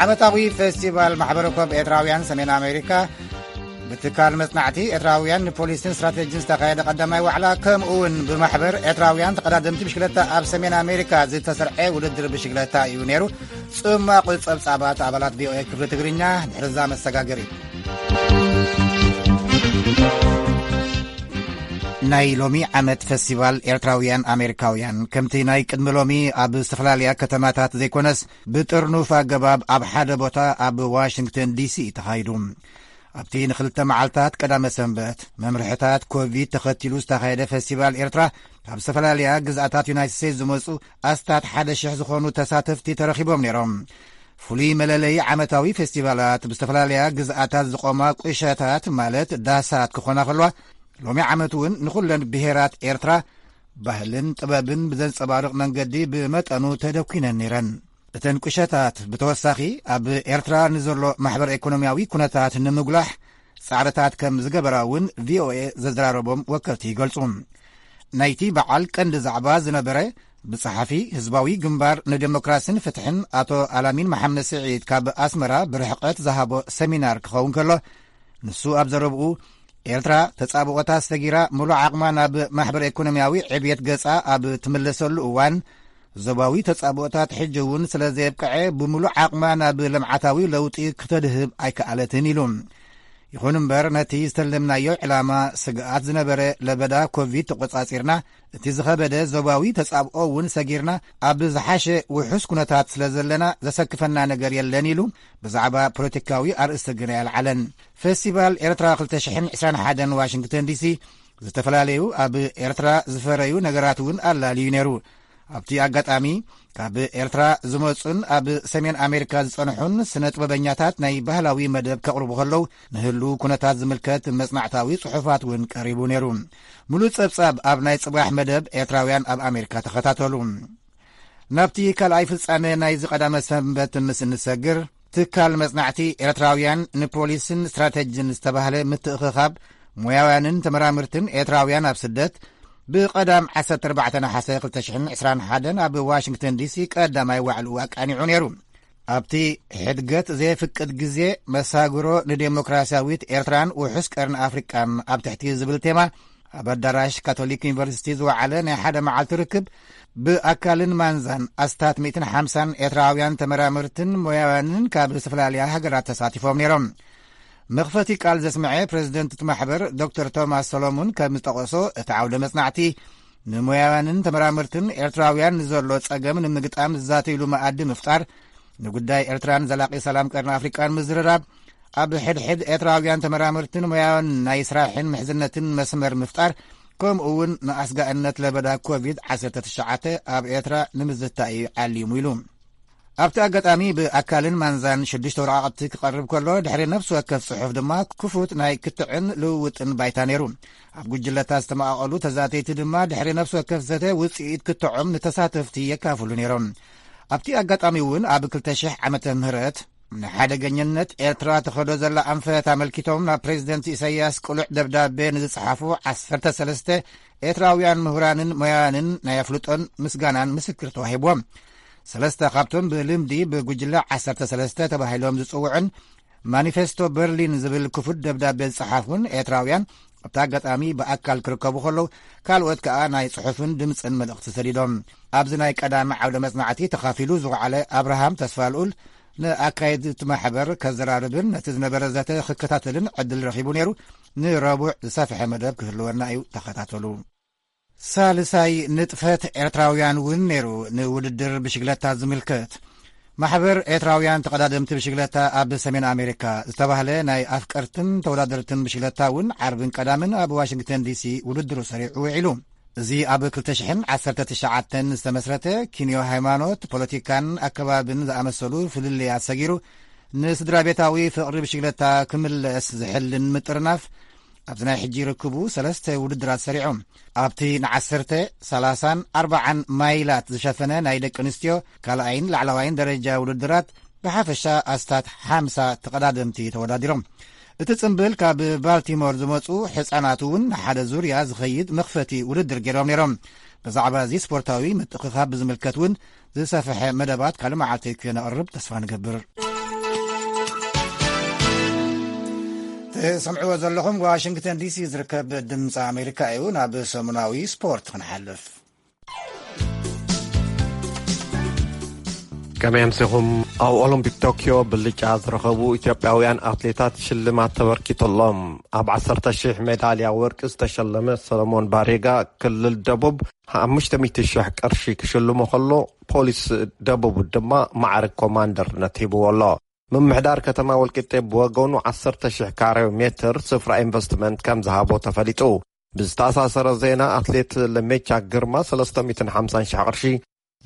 ዓመታዊ ፌስቲቫል ማሕበረ ኮብ ኤርትራውያን ሰሜን ኣሜሪካ፣ ብትካል መጽናዕቲ ኤርትራውያን ንፖሊስን ስትራቴጂን ዝተኻየደ ቀዳማይ ዋዕላ፣ ከምኡ እውን ብማሕበር ኤርትራውያን ተቐዳደምቲ ብሽክለታ ኣብ ሰሜን ኣሜሪካ ዝተሰርዐ ውድድር ብሽክለታ እዩ ነይሩ። ጽማቑ ጸብጻባት ኣባላት ቪኦኤ ክፍሊ ትግርኛ ድሕርዛ መሰጋገሪ። ናይ ሎሚ ዓመት ፈስቲቫል ኤርትራውያን ኣሜሪካውያን፣ ከምቲ ናይ ቅድሚ ሎሚ ኣብ ዝተፈላለያ ከተማታት ዘይኮነስ፣ ብጥርኑፍ ኣገባብ ኣብ ሓደ ቦታ ኣብ ዋሽንግተን ዲሲ ተኻይዱ። ኣብቲ ንክልተ መዓልታት ቀዳመ ሰንበት መምርሕታት ኮቪድ ተኸቲሉ ዝተኻየደ ፈስቲቫል ኤርትራ፣ ካብ ዝተፈላለያ ግዝኣታት ዩናይትድ ስቴትስ ዝመጹ ኣስታት ሓደ ሽሕ ዝኾኑ ተሳተፍቲ ተረኺቦም ነይሮም። ፍሉይ መለለዪ ዓመታዊ ፌስቲቫላት፣ ብዝተፈላለያ ግዝኣታት ዝቖማ ቁሸታት፣ ማለት ዳሳት፣ ክኾና ከለዋ፣ ሎሚ ዓመት እውን ንኹለን ብሄራት ኤርትራ ባህልን ጥበብን ብዘንጸባርቕ መንገዲ ብመጠኑ ተደኲነን ነይረን። እተን ቁሸታት ብተወሳኺ ኣብ ኤርትራ ንዘሎ ማሕበረ ኢኮኖሚያዊ ኩነታት ንምጉላሕ ጻዕርታት ከም ዝገበራ እውን ቪኦኤ ዘዘራረቦም ወከልቲ ይገልጹ። ናይቲ በዓል ቀንዲ ዛዕባ ዝነበረ፣ ብጸሓፊ ህዝባዊ ግንባር ንዴሞክራስን ፍትሕን ኣቶ ኣላሚን መሓመድ ስዒድ ካብ ኣስመራ ብርሕቀት ዝሃቦ ሰሚናር ክኸውን ከሎ፣ ንሱ ኣብ ዘረብኡ፣ ኤርትራ ተጻብኦታት ሰጊራ ምሉእ ዓቕማ ናብ ማሕበረ ኢኮኖሚያዊ ዕብየት ገጻ ኣብ ትምለሰሉ እዋን፣ ዞባዊ ተጻብኦታት ሕጂ እውን ስለ ዘየብቅዐ፣ ብምሉእ ዓቕማ ናብ ልምዓታዊ ለውጢ ክተድህብ ኣይከኣለትን ኢሉ። ይኹን እምበር፣ ነቲ ዝተለምናዮ ዕላማ ስግኣት ዝነበረ ለበዳ ኮቪድ ተቖጻጺርና፣ እቲ ዝኸበደ ዞባዊ ተጻብኦ እውን ሰጊርና፣ ኣብ ዝሓሸ ውሑስ ኩነታት ስለ ዘለና፣ ዘሰክፈና ነገር የለን ኢሉ። ብዛዕባ ፖለቲካዊ ኣርእስቲ ግን ኣየልዓለን። ፈስቲቫል ኤርትራ ክልተ ሽሕን ዕስራን ሓደን ዋሽንግተን ዲሲ፣ ዝተፈላለዩ ኣብ ኤርትራ ዝፈረዩ ነገራት እውን ኣላልዩ ነይሩ። ኣብቲ ኣጋጣሚ፣ ካብ ኤርትራ ዝመጹን ኣብ ሰሜን ኣሜሪካ ዝጸንሑን ስነ ጥበበኛታት ናይ ባህላዊ መደብ ከቕርቡ ከለዉ፣ ንህሉ ኩነታት ዝምልከት መጽናዕታዊ ጽሑፋት እውን ቀሪቡ ነይሩ። ሙሉእ ጸብጻብ ኣብ ናይ ጽባሕ መደብ ኤርትራውያን ኣብ ኣሜሪካ ተኸታተሉ። ናብቲ ካልኣይ ፍጻመ ናይዚ ቀዳመ ሰንበት ምስ እንሰግር፣ ትካል መጽናዕቲ ኤርትራውያን ንፖሊስን ስትራተጂን ዝተባህለ ምትእኽኻብ ሞያውያንን ተመራመርትን ኤርትራውያን ኣብ ስደት፣ ብቐዳም ዓሰርተ ኣርባዕተ ነሓሰ ክልተ ሽሕን ዕስራን ሓደን ኣብ ዋሽንግተን ዲሲ ቀዳማይ ዋዕልኡ ኣቃኒዑ ነይሩ። ኣብቲ ሕድገት ዘየፍቅድ ግዜ፣ መሳግሮ ንዴሞክራሲያዊት ኤርትራን ውሑስ ቀርኒ ኣፍሪቃን ኣብ ትሕቲ ዝብል ቴማ፣ ኣብ ኣዳራሽ ካቶሊክ ዩኒቨርሲቲ ዝወዓለ ናይ ሓደ መዓልቲ ርክብ፣ ብኣካልን ማንዛን ኣስታት ሚእትን ሓምሳን ኤርትራውያን ተመራመርትን ሞያውያንን ካብ ዝተፈላለያ ሃገራት ተሳቲፎም ነይሮም። መኽፈቲ ቃል ዘስምዐ ፕሬዚደንት እቲ ማሕበር ዶክተር ቶማስ ሰሎሙን ከም ዝጠቐሶ፣ እቲ ዓውደ መጽናዕቲ ንሞያውያንን ተመራመርትን ኤርትራውያን ንዘሎ ጸገም ንምግጣም ዝዛተይሉ መኣዲ ምፍጣር፣ ንጉዳይ ኤርትራን ዘላቒ ሰላም ቀርኒ ኣፍሪቃን ምዝርራብ፣ ኣብ ሕድሕድ ኤርትራውያን ተመራመርትን ሞያውያን ናይ ስራሕን ምሕዝነትን መስመር ምፍጣር፣ ከምኡ እውን ንኣስጋእነት ለበዳ ኮቪድ ዓሰርተ ትሽዓተ ኣብ ኤርትራ ንምዝታይ እዩ ዓሊሙ ኢሉ። ኣብቲ ኣጋጣሚ ብኣካልን ማንዛን ሽዱሽተ ወረቓቕቲ ክቐርብ ከሎ፣ ድሕሪ ነፍሲ ወከፍ ጽሑፍ ድማ ክፉት ናይ ክትዕን ልውውጥን ባይታ ነይሩ። ኣብ ጉጅለታት ዝተመቓቐሉ ተዛተይቲ ድማ ድሕሪ ነፍሲ ወከፍ ዘተ ውጽኢት ክትዖም ንተሳተፍቲ የካፍሉ ነይሮም። ኣብቲ ኣጋጣሚ እውን ኣብ ክልተ ሽሕ ዓመተ ምህረት ንሓደገኛነት ኤርትራ ትኸዶ ዘላ ኣንፈት ኣመልኪቶም ናብ ፕሬዚደንት ኢሳያስ ቅሉዕ ደብዳቤ ንዝጸሓፉ ዓሰርተ ሰለስተ ኤርትራውያን ምሁራንን ሞያንን ናይ ኣፍልጦን ምስጋናን ምስክር ተዋሂብዎም። ሰለስተ ካብቶም ብልምዲ ብጉጅለ ዓሰርተ ሰለስተ ተባሂሎም ዝጽውዑን ማኒፌስቶ በርሊን ዝብል ክፉት ደብዳቤ ዝጸሓፉን ኤርትራውያን ኣብቲ ኣጋጣሚ ብኣካል ክርከቡ ከለዉ፣ ካልኦት ከኣ ናይ ጽሑፍን ድምጽን መልእኽቲ ሰዲዶም። ኣብዚ ናይ ቀዳሚ ዓውደ መጽናዕቲ ተኻፊሉ ዝወዓለ ኣብርሃም ተስፋልኡል፣ ንኣካየድቲ ማሕበር ከዘራርብን ነቲ ዝነበረ ዘተ ክከታተልን ዕድል ረኺቡ ነይሩ። ንረቡዕ ዝሰፍሐ መደብ ክህልወና እዩ፣ ተኸታተሉ። ሳልሳይ ንጥፈት ኤርትራውያን እውን ነይሩ፣ ንውድድር ብሽግለታ ዝምልከት። ማሕበር ኤርትራውያን ተቐዳደምቲ ብሽግለታ ኣብ ሰሜን ኣሜሪካ ዝተባህለ ናይ ኣፍቀርትን ተወዳደርትን ብሽግለታ እውን ዓርብን ቀዳምን ኣብ ዋሽንግተን ዲሲ ውድድሩ ሰሪዑ ውዒሉ። እዚ ኣብ ክልተ ሽሕን ዓሰርተ ትሽዓተን ዝተመስረተ፣ ኪንዮ ሃይማኖት፣ ፖለቲካን ኣከባብን ዝኣመሰሉ ፍልልያት ሰጊሩ፣ ንስድራ ቤታዊ ፍቕሪ ብሽግለታ ክምለስ ዝሕልን ምጥርናፍ፣ ኣብዚ ናይ ሕጂ ርክቡ ሰለስተ ውድድራት ሰሪዑ። ኣብቲ ንዓሰርተ፣ ሰላሳን ኣርባዓን ማይላት ዝሸፈነ ናይ ደቂ ኣንስትዮ ካልኣይን ላዕለዋይን ደረጃ ውድድራት፣ ብሓፈሻ ኣስታት ሓምሳ ተቐዳደምቲ ተወዳዲሮም። እቲ ጽምብል ካብ ባልቲሞር ዝመጹ ሕጻናት እውን ንሓደ ዙርያ ዝኸይድ መኽፈቲ ውድድር ገይሮም ነይሮም። ብዛዕባ እዚ ስፖርታዊ ምትእኽኻብ ብዝምልከት እውን ዝሰፍሐ መደባት ካልእ መዓልቲ ክነቕርብ ተስፋ ንገብር። ትሰምዕዎ ዘለኹም ዋሽንግተን ዲሲ ዝርከብ ድምፂ ኣሜሪካ እዩ። ናብ ሰሙናዊ ስፖርት ክንሓልፍ። ከመይ ኣምሲኹም? ኣብ ኦሎምፒክ ቶኪዮ ብልጫ ዝረኸቡ ኢትዮጵያውያን ኣትሌታት ሽልማት ተበርኪቱሎም። ኣብ ዓሰርተ ሺሕ ሜዳልያ ወርቂ ዝተሸለመ ሰለሞን ባሬጋ ክልል ደቡብ ሓሙሽተ ሚእቲ ሺሕ ቅርሺ ክሽልሞ ከሎ፣ ፖሊስ ደቡብ ድማ ማዕርግ ኮማንደርነት ሂብዎ ኣሎ። ምምሕዳር ከተማ ወልቂጤ ብወገኑ ዓሰርተ ሺሕ ካሬ ሜትር ስፍራ ኢንቨስትመንት ከም ዝሃቦ ተፈሊጡ። ብዝተኣሳሰረ ዜና፣ ኣትሌት ለሜቻ ግርማ ሰለስተ ሚእትን ሓምሳን ሺሕ ቅርሺ፣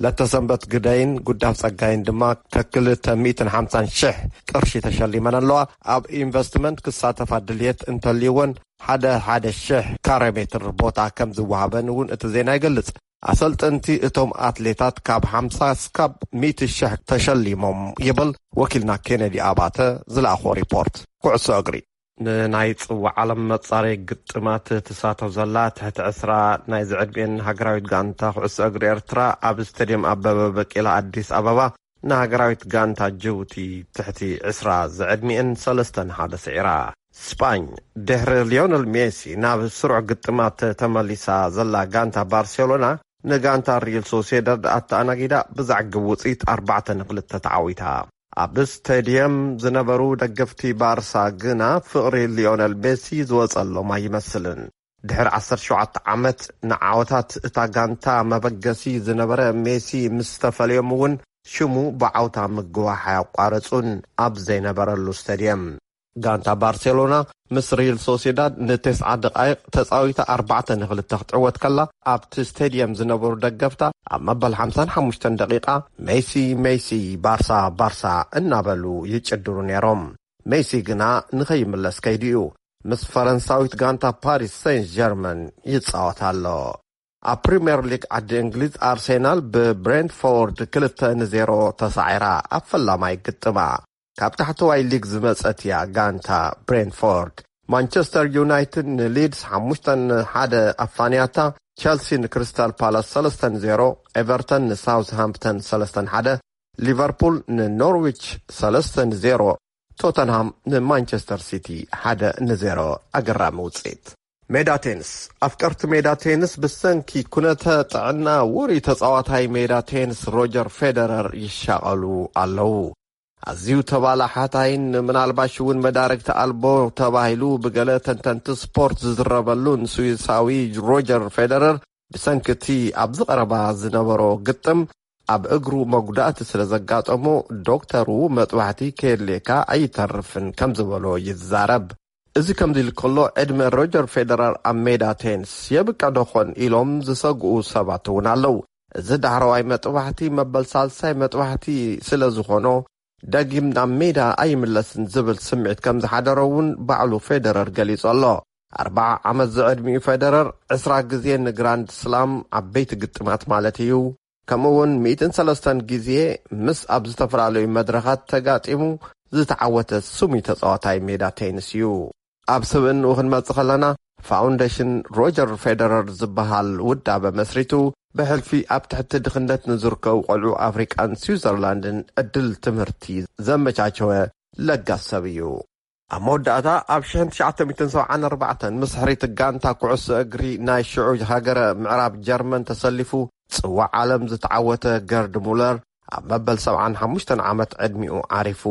ለተሰንበት ግደይን ጉዳፍ ጸጋይን ድማ ከክልተ ሚእትን ሓምሳን ሺሕ ቅርሺ ተሸሊመን ኣለዋ። ኣብ ኢንቨስትመንት ክሳተፋ ድልየት እንተልይወን፣ ሓደ ሓደ ሺሕ ካሬ ሜትር ቦታ ከም ዝወሃበን እውን እቲ ዜና ይገልጽ። ኣሰልጠንቲ እቶም ኣትሌታት ካብ ሓምሳ እስካብ ሚእቲ ሺሕ ተሸሊሞም ይብል ወኪልና ኬነዲ ኣባተ ዝለኣኾ ሪፖርት። ኩዕሶ እግሪ። ንናይ ጽዋዕ ዓለም መጻረይ ግጥማት ትሳተፍ ዘላ ትሕቲ ዕስራ ናይ ዝዕድሜን ሃገራዊት ጋንታ ኩዕሶ እግሪ ኤርትራ ኣብ ስቴድየም ኣበበ በቂላ ኣዲስ ኣበባ ንሃገራዊት ጋንታ ጅቡቲ ትሕቲ ዕስራ ዝዕድሜን ሰለስተ ንሓደ ስዒራ። ስጳኝ፣ ድሕሪ ሊዮነል ሜሲ ናብ ስሩዕ ግጥማት ተመሊሳ ዘላ ጋንታ ባርሴሎና፣ ንጋንታ ሪል ሶሴዳድ ኣተኣናጊዳ ብዘዕግብ ውጽኢት ኣርባዕተ ንክልተ ተዓዊታ። ኣብ ስቴድየም ዝነበሩ ደገፍቲ ባርሳ ግና ፍቕሪ ሊዮነል ሜሲ ዝወጸሎም ኣይመስልን። ድሕሪ ዓሰርተ ሸውዓተ ዓመት ንዓወታት እታ ጋንታ መበገሲ ዝነበረ ሜሲ ምስ ተፈለዮም እውን ሽሙ ብዓውታ ምግዋሕ ኣያቋረጹን ኣብ ዘይነበረሉ ስቴድየም። ጋንታ ባርሴሎና ምስ ሪል ሶሴዳድ ንተስዓ ደቓይቕ ተጻዊታ ኣርባዕተ ንክልተ ክትዕወት ከላ፣ ኣብቲ ስቴድየም ዝነበሩ ደገፍታ ኣብ መበል ሓምሳን ሓሙሽተን ደቂቓ ሜሲ፣ ሜሲ፣ ባርሳ፣ ባርሳ እናበሉ ይጭድሩ ነይሮም። ሜሲ ግና ንኸይምለስ ከይዱ እዩ። ምስ ፈረንሳዊት ጋንታ ፓሪስ ሴን ጀርመን ይጻወት ኣሎ። ኣብ ፕሪምየር ሊግ ዓዲ እንግሊዝ፣ ኣርሴናል ብብሬንትፎርድ ክልተ ንዜሮ ተሳዒራ ኣብ ፈላማይ ግጥማ። ካብ ታሕተዋይ ሊግ ዝመጸት እያ ጋንታ ብሬንትፎርድ። ማንቸስተር ዩናይትድ ንሊድስ ሓሙሽተ ንሓደ ኣፋንያታ። ቸልሲ ንክሪስታል ፓላስ ሰለስተ ንዜሮ፣ ኤቨርተን ንሳውዝሃምፕተን ሰለስተ ንሓደ፣ ሊቨርፑል ንኖርዊች ሰለስተ ንዜሮ፣ ቶተንሃም ንማንቸስተር ሲቲ ሓደ ንዜሮ። ኣገራሚ ውጽኢት። ሜዳ ቴንስ። ኣፍቀርቲ ሜዳ ቴንስ ብሰንኪ ኩነተ ጥዕና ውሩይ ተጻዋታይ ሜዳ ቴንስ ሮጀር ፌደረር ይሻቐሉ ኣለዉ። ኣዝዩ ተባላሓታይን ምናልባሽ እውን መዳርግቲ ኣልቦ ተባሂሉ ብገለ ተንተንቲ ስፖርት ዝዝረበሉን ስዊሳዊ ሮጀር ፌደረር፣ ብሰንኪ እቲ ኣብዚ ቀረባ ዝነበሮ ግጥም ኣብ እግሩ መጉዳእቲ ስለ ዘጋጠሞ፣ ዶክተሩ መጥባሕቲ ከየድልየካ ኣይተርፍን ከም ዝበሎ ይዛረብ። እዚ ከምዚ ኢሉ ከሎ፣ ዕድመ ሮጀር ፌደረር ኣብ ሜዳ ቴንስ የብቅዕ ዶ ኾን ኢሎም ዝሰግኡ ሰባት እውን ኣለዉ። እዚ ዳሕረዋይ መጥባሕቲ መበል ሳልሳይ መጥባሕቲ ስለ ዝኾኖ፣ ደጊም ናብ ሜዳ ኣይምለስን ዝብል ስምዒት ከም ዝሓደሮ እውን ባዕሉ ፌደረር ገሊጹ ኣሎ። ኣርብዓ ዓመት ዝዕድሚኡ ፌደረር፣ ዕስራ ግዜ ንግራንድ ስላም ዓበይቲ ግጥማት ማለት እዩ፣ ከምኡ እውን ሚእትን ሰለስተን ግዜ ምስ ኣብ ዝተፈላለዩ መድረኻት ተጋጢሙ ዝተዓወተ ስሙይ ተጻዋታይ ሜዳ ቴኒስ እዩ። ኣብ ስብእንኡ ክንመጽእ ከለና፣ ፋውንዴሽን ሮጀር ፌደረር ዝበሃል ውዳበ መስሪቱ፣ ብሕልፊ ኣብ ትሕቲ ድኽነት ንዝርከቡ ቆልዑ ኣፍሪቃን ስዊዘርላንድን ዕድል ትምህርቲ ዘመቻቸወ ለጋስ ሰብ እዩ። ኣብ መወዳእታ፣ ኣብ ሽሕን ትሽዓተ ሚእትን ሰብዓን ኣርባዕተን ምስ ሕርይቲ ጋንታ ኩዕሶ እግሪ ናይ ሽዑ ሃገረ ምዕራብ ጀርመን ተሰሊፉ፣ ጽዋዕ ዓለም ዝተዓወተ ገርድ ሙለር ኣብ መበል ሰብዓን ሓሙሽተን ዓመት ዕድሚኡ ዓሪፉ።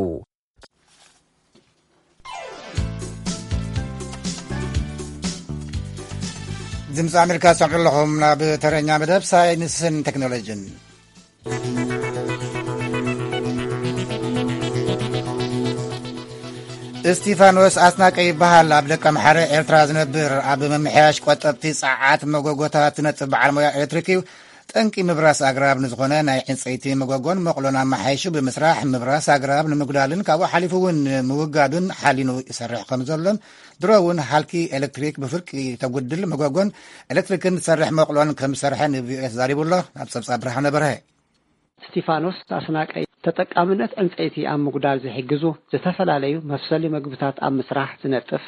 ድምፂ ኣሜሪካ ትሰምዑ ኣለኹም። ናብ ተረኛ መደብ ሳይንስን ቴክኖሎጂን። እስቲፋኖስ ኣስናቀ ይበሃል። ኣብ ደቀምሓረ ኤርትራ ዝነብር፣ ኣብ ምምሕያሽ ቆጠብቲ ጸዓት መጎጎታት ዝነጥፍ በዓል ሞያ ኤሌክትሪክ እዩ። ጠንቂ ምብራስ ኣግራብ ንዝኾነ ናይ ዕንጸይቲ መጎጎን መቑሎን ኣመሓይሹ ብምስራሕ፣ ምብራስ ኣግራብ ንምጉዳልን ካብኡ ሓሊፉ እውን ንምውጋዱን ሓሊኑ ይሰርሕ ከም ዘሎን፣ ድሮ እውን ሃልኪ ኤሌክትሪክ ብፍርቂ ተጉድል መጎጎን ኤሌክትሪክን ዝሰርሕ መቑሎን ከም ዝሰርሐ ን ቪ ኦ ኤ ተዛሪቡ ኣሎ። ናብ ጸብጻብ ብርሃነ በርሀ። እስቲፋኖስ ኣስናቀይ፣ ተጠቃምነት ዕንጸይቲ ኣብ ምጉዳል ዝሕግዙ ዝተፈላለዩ መብሰሊ መግብታት ኣብ ምስራሕ ዝነጥፍ፣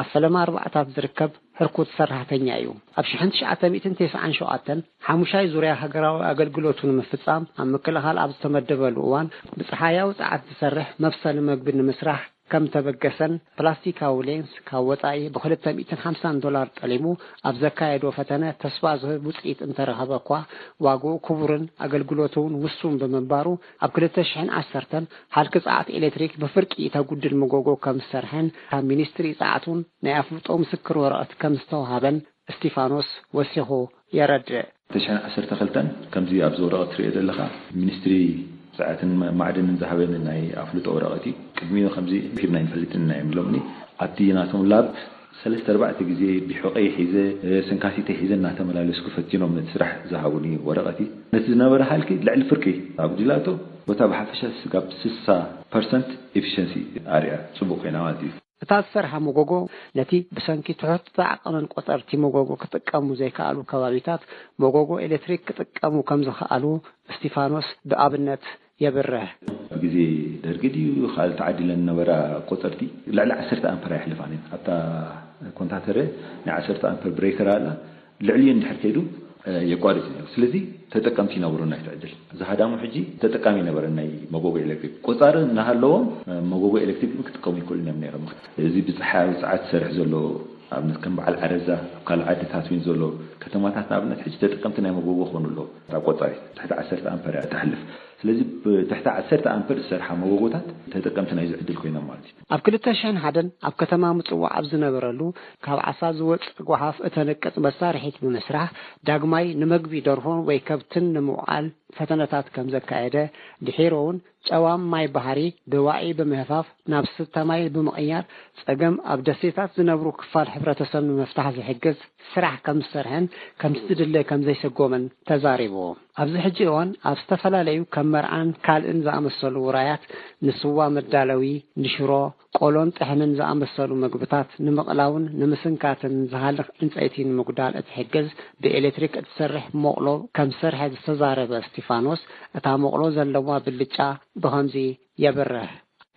ኣብ ፈለማ ኣርባዕታት ዝርከብ ህርኩት ሰራሕተኛ እዩ። ኣብ ሽሕን ትሽዓተ ሚእትን ተስዓን ሸውዓተን ሓሙሻይ ዙርያ ሃገራዊ ኣገልግሎቱ ንምፍጻም ኣብ ምክልኻል ኣብ ዝተመደበሉ እዋን፣ ብጸሓያዊ ጸዓት ዝሰርሕ መብሰሊ መግቢ ንምስራሕ ከም ተበገሰን፣ ፕላስቲካዊ ሌንስ ካብ ወጻኢ ብ ክልተ ሚእትን ሓምሳን ዶላር ጠሊሙ ኣብ ዘካየዶ ፈተነ ተስፋ ዝህብ ውጽኢት እንተረኸበ እኳ፣ ዋግኡ ክቡርን ኣገልግሎቱ እውን ውሱን ብምንባሩ፣ ኣብ ክልተ ሽሕን ዓሰርተን ሃልኪ ጸዓት ኤሌክትሪክ ብፍርቂ ተጉድል መጎጎ ከም ዝሰርሐን፣ ካብ ሚኒስትሪ ጸዓት እውን ናይ ኣፍልጦ ምስክር ወረቐት ከም ዝተውሃበን እስቲፋኖስ ወሲኹ የረድእ። ክልተ ሽሕን ዓሰርተ ክልተን ከምዚ ኣብዚ ወረቐት ትሪኦ ዘለኻ፣ ሚኒስትሪ ጸዓትን ማዕድንን ዝሃበኒ ናይ ኣፍልጦ ወረቐት እዩ። ቅድሚኡ ከምዚ ሂብና ኣይንፈልጥን ኢና እዮም ኢሎምኒ። ኣብቲ ናቶም ላብ ሰለስተ ኣርባዕተ ግዜ ቢሑቐይ ሒዘ፣ ሰንካቲተይ ሒዘ እናተመላለስኩ ፈቲኖም ነቲ ስራሕ ዝሃቡኒ ወረቐት እዩ። ነቲ ዝነበረ ሃልኪ ልዕሊ ፍርቂ ኣጉዲላቶ፣ ቦታ ብሓፈሻ ስጋብ ስሳ ፐርሰንት ኤፊሸንሲ ኣርያ ጽቡቕ ኮይና ማለት እዩ። እታ ዝሰርሓ መጎጎ፣ ነቲ ብሰንኪ ትሑት ዓቐንን ቆጸርቲ መጎጎ ክጥቀሙ ዘይከኣሉ ከባቢታት መጎጎ ኤሌክትሪክ ክጥቀሙ ከም ዝኸኣሉ እስቲፋኖስ ብኣብነት የብርህ። ኣብ ግዜ ደርጊ ድዩ ካልእ ተዓዲለን ዝነበራ ቆጸርቲ ልዕሊ ዓሰርተ ኣምፐር ኣይሕልፋን እየን። ኣብታ ኮንታተረ ናይ ዓሰርተ ኣምፐር ብሬከር ኣላ። ልዕሊኡ እንድሕር ከይዱ፣ እ፣ የቋርጽ እዩ ነይሩ። ስለዚ ተጠቀምቲ ይነበሩ ናይቲ ዕድል። እዚ ሃዳሙ ሕጂ ተጠቃሚ ይነበረ ናይ መጎጎ ኤሌክትሪክ። ቆጻሪ እናሃለዎም፣ እ፣ መጎጎ ኤሌክትሪክ ግን ክጥቀሙ ይክእሉ እዮም ነይሮም። እዚ ብጸሓያዊ ጸዓት ዝሰርሕ ዘሎ፣ ኣብነት ከም በዓል ዓረዛ፣ ኣብ ካልእ ዓድታት እውን ዘሎ ከተማታት ንኣብነት ሕጂ ተጠቀምቲ ናይ መጎጎ ክኾኑ ኣለዉ። እታ ቆጻሪት ትሕቲ ዓሰርተ ኣምፐር እያ እተሕልፍ። ስለዚ ብትሕቲ ዓሰርተ ኣምፐር ዝሰርሓ መጎጎታት ተጠቀምቲ ናይዚ ዕድል ኮይኖም ማለት እዩ። ኣብ ክልተ ሽሕን ሓደን ኣብ ከተማ ምጽዋዕ ኣብ ዝነበረሉ፣ ካብ ዓሳ ዝወጽእ ጓሓፍ እተንቅጽ መሳርሒት ብምስራሕ፣ ዳግማይ ንመግቢ ደርሆን ወይ ከብትን ንምውዓል ፈተነታት ከም ዘካየደ፣ ድሒሩ እውን ጨዋም ማይ ባሕሪ ብዋዒ ብምህፋፍ ናብ ስተ ማይ ብምቕያር፣ ጸገም ኣብ ደሴታት ዝነብሩ ክፋል ሕብረተሰብ ንምፍታሕ ዝሕግዝ ስራሕ ከም ዝሰርሐን ከምቲ ዝድለ ከም ዘይሰጎመን ተዛሪቡ። ኣብዚ ሕጂ እዋን ኣብ ዝተፈላለዩ ከም መርዓን ካልእን ዝኣመሰሉ ውራያት ንስዋ መዳለዊ፣ ንሽሮ፣ ቆሎን ጥሕንን ዝኣመሰሉ መግብታት ንምቕላውን ንምስንካትን ዝሃልኽ ዕንጸይቲ ንምጉዳል እትሕግዝ ብኤሌክትሪክ እትሰርሕ ሞቕሎ ከም ዝሰርሐ ዝተዛረበ እስቲፋኖስ፣ እታ ሞቕሎ ዘለዋ ብልጫ ብኸምዚ የብርህ።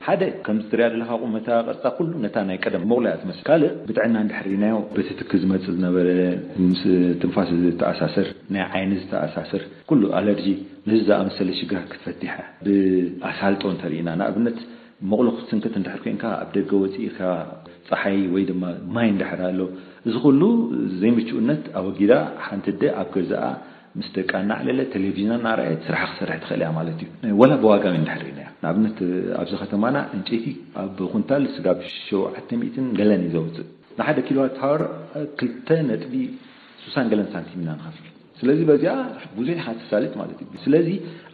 ሓደ፣ ከምዚ ትሪኣ ዘለኻ ቁመታ፣ ቅርጻ፣ ኩሉ ነታ ናይ ቀደም መቑሎ እያ ትመስል። ካልእ፣ ብጥዕና እንድሕር ርኢናዮ፣ በቲ ትኪ ዝመጽእ ዝነበረ፣ ምስ ትንፋስ ዝተኣሳሰር፣ ናይ ዓይኒ ዝተኣሳሰር፣ ኩሉ ኣለርጂ፣ ነዚ ዝኣመሰለ ሽግራት ክትፈትሕ እያ። ብኣሳልጦ እንተርኢና፣ ንኣብነት፣ መቑሎ ክትስንክት እንድሕር ኮይንካ፣ ኣብ ደገ ወጺእካ፣ ጸሓይ ወይ ድማ ማይ እንድሕር ኣሎ፣ እዚ ኩሉ ዘይምቹእነት ኣወጊዳ፣ ሓንቲ ኣደ ኣብ ገዛኣ ምስ ደቃ እናዕለለት፣ ቴሌቪዥና እናረኣየት ስራሓ ክሰርሕ ትኽእል እያ ማለት እዩ። ወላ ብዋጋ እውን እንድሕር ርኢናዮ። ንኣብነት፣ ኣብዚ ከተማና ዕንጨይቲ ኣብ ኩንታል ስጋብ ሸውዓተ ሚእትን ገለን እዩ ዘውፅእ። ንሓደ ኪሎዋት ሃወር ክልተ ነጥቢ ስሳን ገለን ሳንቲም ኢና ንኸፍል። ስለዚ በዚኣ ብዙሕ ኢኻ ትሳልጥ ማለት እዩ። ስለዚ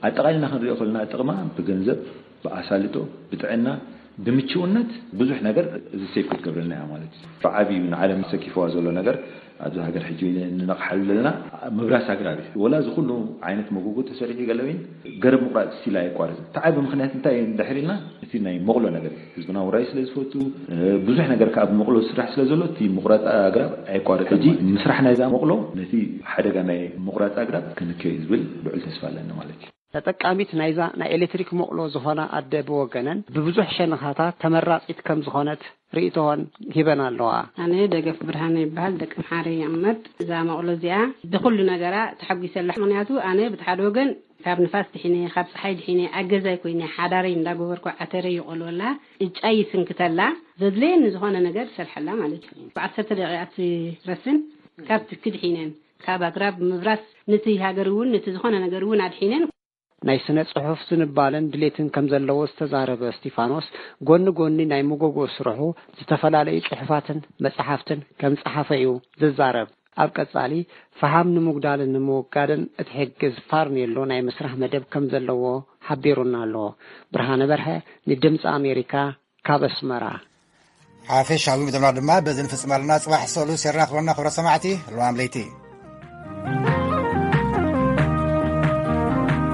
ኣጠቓሊልና ክንሪኦ ከለና ጥቕማ ብገንዘብ፣ ብኣሳልጦ፣ ብጥዕና፣ ብምችውነት ብዙሕ ነገር እዚ ሴቭ ክትገብረልና እያ ማለት እዩ። ብዓብዩ ንዓለም ሰኪፍዋ ዘሎ ነገር ኣብዚ ሃገር ሕጂ ንነቕሓሉ ዘለና ምብራስ ኣግራብ እዩ። ወላ እዚ ኩሉ ዓይነት መጎጎ ተሰሪሑ ገለ ወይን ገረብ ምቑራፅ ስቲል ኣየቋርፅን። እቲ ዓቢ ምኽንያት እንታይ እዩ እንድሕር ኢልና፣ እቲ ናይ መቑሎ ነገር እዩ። ህዝብና ውራይ ስለ ዝፈቱ፣ ብዙሕ ነገር ከዓ ብመቑሎ ዝስራሕ ስለ ዘሎ፣ እቲ ምቑራፅ ኣግራብ ኣየቋርፅን ሕጂ ማለት እዩ። ምስራሕ ናይዛ መቑሎ ነቲ ሓደጋ ናይ ምቑራፅ ኣግራብ ክንክዮ እዩ ዝብል ልዑል ተስፋ ኣለኒ ማለት እዩ። ተጠቃሚት ናይዛ ናይ ኤሌክትሪክ መቑሎ ዝኾና ኣደ ብወገነን ብብዙሕ ሸነኻታት ተመራፂት ከም ዝኾነት ርእይቶን ሂበን ኣለዋ። ኣነ ደገፍ ብርሃነ ይበሃል፣ ደቂ ምሓረ ይቕመጥ። እዛ መቕሎ እዚኣ ብኹሉ ነገራ ተሓጒሰላ። ምኽንያቱ ኣነ ብቲ ሓደ ወገን ካብ ንፋስ ድሒነ፣ ካብ ፀሓይ ድሒነ፣ ኣገዛይ ኮይነ፣ ሓዳረይ እንዳጎበርኩ ዓተረይ ይቆልወላ፣ እጫይ ይስንክተላ፣ ዘድለየኒ ዝኾነ ነገር ይሰርሐላ ማለት እዩ። ብዓሰርተ ደቂቃ ትረስን ካብ ትኪ ድሒነን፣ ካብ ኣግራብ ምብራስ ነቲ ሃገር እውን ነቲ ዝኾነ ነገር እውን ኣድሒነን። ናይ ስነ ጽሑፍ ዝንባለን ድሌትን ከም ዘለዎ ዝተዛረበ እስቲፋኖስ፣ ጎኒ ጎኒ ናይ መጎጎ ስርሑ ዝተፈላለዩ ጽሑፋትን መጽሓፍትን ከም ጸሓፈ እዩ ዝዛረብ። ኣብ ቀጻሊ፣ ፈሓም ንምጉዳልን ንምውጋድን እትሕግዝ ፋርኔሎ ናይ ምስራሕ መደብ ከም ዘለዎ ሓቢሩና ኣሎ። ብርሃነ በርሀ፣ ንድምፂ ኣሜሪካ፣ ካብ ኣስመራ። ሓፈሻዊ መደብና ድማ በዚ ንፍጽም ኣለና። ጽባሕ ሰሉስ የራኽበና፣ ክብረ ሰማዕቲ። ለዋም ለይቲ።